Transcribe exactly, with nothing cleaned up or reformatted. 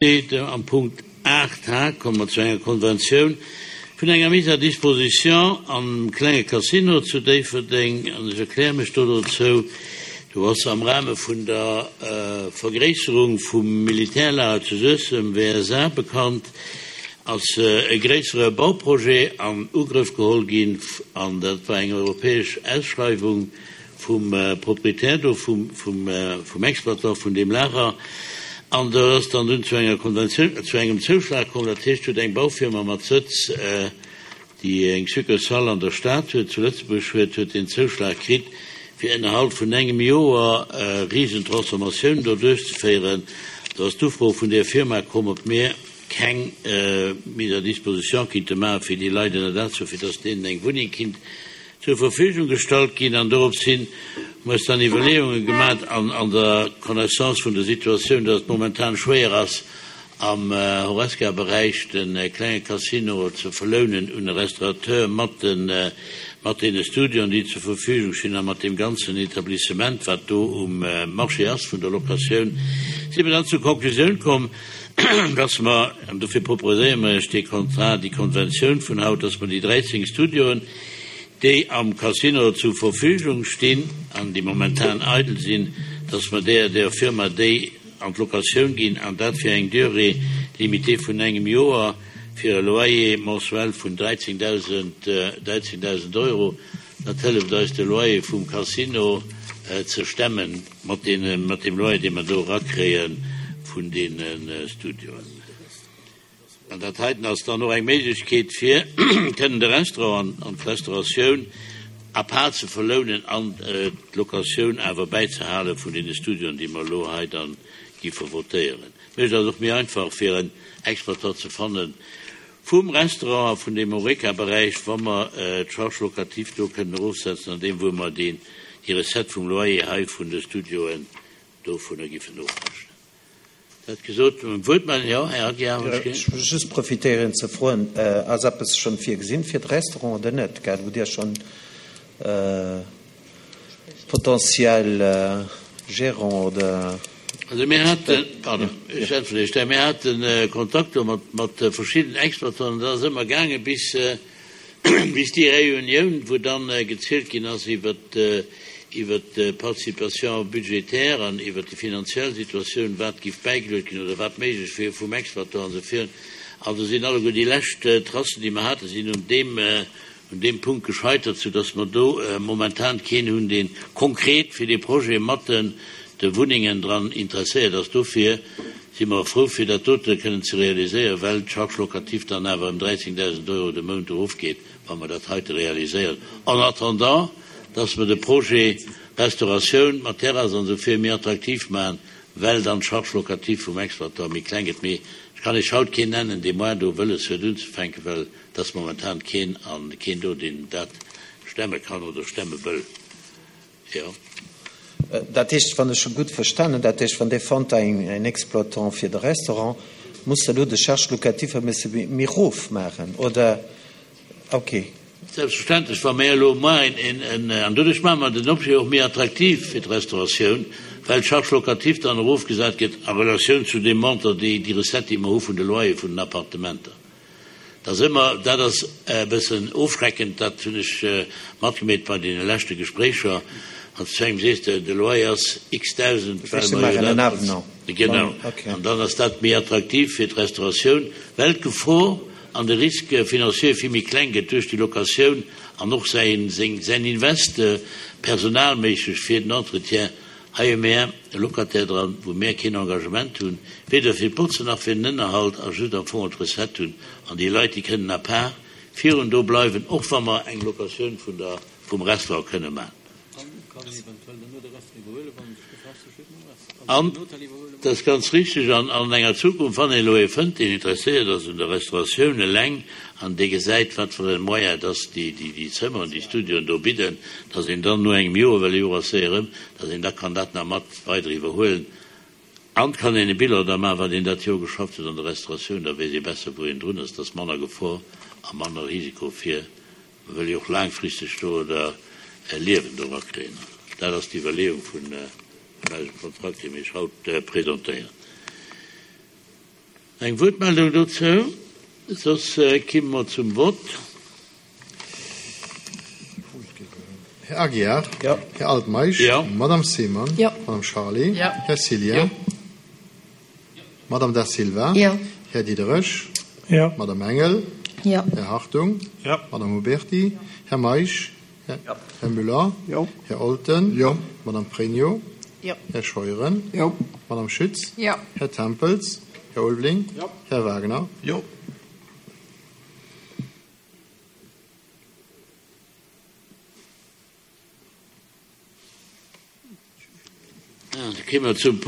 Am Punkt aacht H komme mer zu enger Konventioun vun enger Mise à disposition am klenge Casino zu Déifferdeng. An ech erkläre mech do dozou, Do ass am Rahme vun der Vergréisserung vum Militärlager zu Suessem, W S A bekannt, ass e gréissere Bauprojet an Ugrëff geholl ginn, an dat war eng europäesch Ausschreiwung vum Proprietär do, vum, vum, vum Exploitant vun deem Lager. An do ass dann dunn zu enger Konventioun, zu engem Zouschlag komm. Dat heescht, huet eng Baufirma mat Sëtz, déi eng Succursale an der Stad huet, zu Lëtzebuerg huet, huet deen Zouschlag kritt, fir ënnerhalb vun engem Joer e Risentransformatioun do duerchzeféieren. Do ass d'Ufro vun där Firma komm, ob mir keng Mise à disposition kinnte maache fir déi Leit ënner Daach, fir dass deenen eng Wunneng kinnt zur Verfügung gestallt ginn. An dorops hin hu mer eis dann Iwwerleeunge gemaach an an der Connaissance vun der Situatioun, dass et momentan schwéier ass, am Horesca-Beräich de klenge Casino ze verlounen un e Restaurateur mat de mat deene Studioen, déi zur Verfügung stinn, a mat deem ganzen Etablissement, wat do um Marché ass vun der Locatioun, si mer dann zur Konklusioun komm, dass mer, an dofir proposéiere mer Iech dee Contrat, déi Konventioun vun haut, dass mer déi dräizéng Studioen, déi am Casino zur Verfügung stinn an déi momentan eidel sinn, dass mer där der Firma déi an d'Locatioun ginn, an dat fir eng Durée limitée vun engem Joer, fir e Loyer mensuel vun dräizéngdausend Euro. Dat hëlleft eis, de Loyer vum Casino ze stemmen mat deem Loyer, dee mer do erakréie vun deene Studioen. An dat heiten ass dann och eng Méiglechkeet, fir kënnen de Restaurant an d'Restauratioun à part ze verlounen an d'Locatioun awer bäizehale vun deene Studioen, déi mer elo hei dann giffe votéieren. Mécht ass och méi einfach fir en Exploitant ze fannen vum Restaurant a vun deem Horeca-Beräich, wa mer d'Charge locative do kënnen erofsetzen an deem, wou mer déi Recette vum Loyer hei vun de Studioen dovunner giffen ofrechnen. Dat gesot, Wuertmeldung, jo, Här Aguiar. Ech wëll just profitéieren ze froen, ass eppes schonn virgesinn fir de Restaurant oder net, gell, hutt Dir schonn potentiell Gérant oder? Also mir haten, pardon, ech äntweren Iech da, mir hate Kontakter mat mat verschiddenen Exploitanten, dat ass ëmmer gaange bis bis déi Reunioun, wou dann gezielt ginn ass iwwert iwwert d'Participation budgétaire an iwwert déi finanziell Situatioun, wat giff bäigeluet ginn oder wat méiglech wier vum Exploitant an esou virun. An do sinn alleguer déi lescht Tracen, déi mer haten, sinn un deem un deem Punkt gescheitert, soudass mer do momentan keen hunn, dee konkret fir dee Projet mat de Wunnengen dran interesséiert ass. Dofir si mer frou, fir dat dote kënnen ze realiséieren, well d'Charge locative dann awer ëm dräizéngdausend Euro de Mount erofgeet, wa mer dat heite realiséieren, en attendant, dass mer de Projet Restauratioun mat Terrass an esou vir méi attraktiv maachen, well dann d'Charge locative vum Exploitant méi kleng gëtt. Mee ech kann Iech haut keen nennen, dee moar do wëlles huet unzefänken, well et ass momentan keen an keen do, deen dat stemme kann oder stemme wëll. Jo. Dat heescht, wann ech scho gutt verstanen, dat heescht, wann Dir fannt en Exploitant fir de Restaurant, muss Der elo de Charge locative e bësse méi erof maachen, oder? Okay. Selbstverständlech, wa mir elo moar een, en, an doduerch maache mer den Objet och méi attraktiv fir d'Restauratioun, well d'Charge locative dann erofgesat gëtt a Relatioun zu deem Montant, déi, déi Recette, déi mer hu vun de Loyere vun den Appartementer. Dat ass ëmmer, dat ass e bëssen ofschreckend, dat hunn ech matgemeet bei deene leschte Gespréicher, wann s du zu engem sees, de Loyer ass x Dausend, well mer jo dat, genau, an dann ass dat méi attraktiv fir d'Restauratioun, well d'Gefor an de Risque financier vill méi kleng gëtt duerch déi Locatioun an och säin, seng, säin Invest personalméisseg fir den Entretien. Hei hu mär e Locataire dran, wou mär keen Engagement hunn, weder fir d'Botzen nach fir den Ënnerhalt, a just am Fong d'Recette hunn. An déi Leit, déi kënnen à part virun do bleiwen, och wa mer eng Locatioun vun der, vum Restaurant kënne maachen. An dat ass ganz richtig, an an enger Zukunft, wann een elo ee fënnt, deen interesséiert ass un der Restauratioun eleng an dee gesäit, wat fir e Moyen dass déi, déi, déi Zëmmeren, déi Studioen do bidden, dass een dann no engem Joer, well e Joer ass séier ëm, dass een da kann dat nach mat weider iwwerhuelen an kann een e Bilan da maachen, wat een dat Joer geschafft huet an der Restauratioun. Da weess ee besser, wou een drun ass. Dat ass manner Gefor a manner Risiko fir, mer wëlle jo och laangfristeg do oder e Liewen do erakréien. Dat ass d'Iwwerleeung vun eisem Kontrakt, dee mir Iech haut presentéieren. Eng Wuertmeldung dozou? Soss kimme mer zum Vott. Här Aguiar? Jo. Här Altmeisch? Jo. Madame Simon? Jo. Madame Charlé? Jo. Här Cillien? Madame Da Silva? Jo. Här Diderich? Jo. Madame Engel? Jo. Här Hartung? Jo. Madame Huberty? Här Meisch? Här Müller? Jo. Här Olten? Jo. Madame Pregno? Jo. Här Scheuren? Jo. Madame Schütz? Jo. Här Tempels? Här Ulveling? Jo. Här Wagner? Jo. Da kimme mer zum Punkt.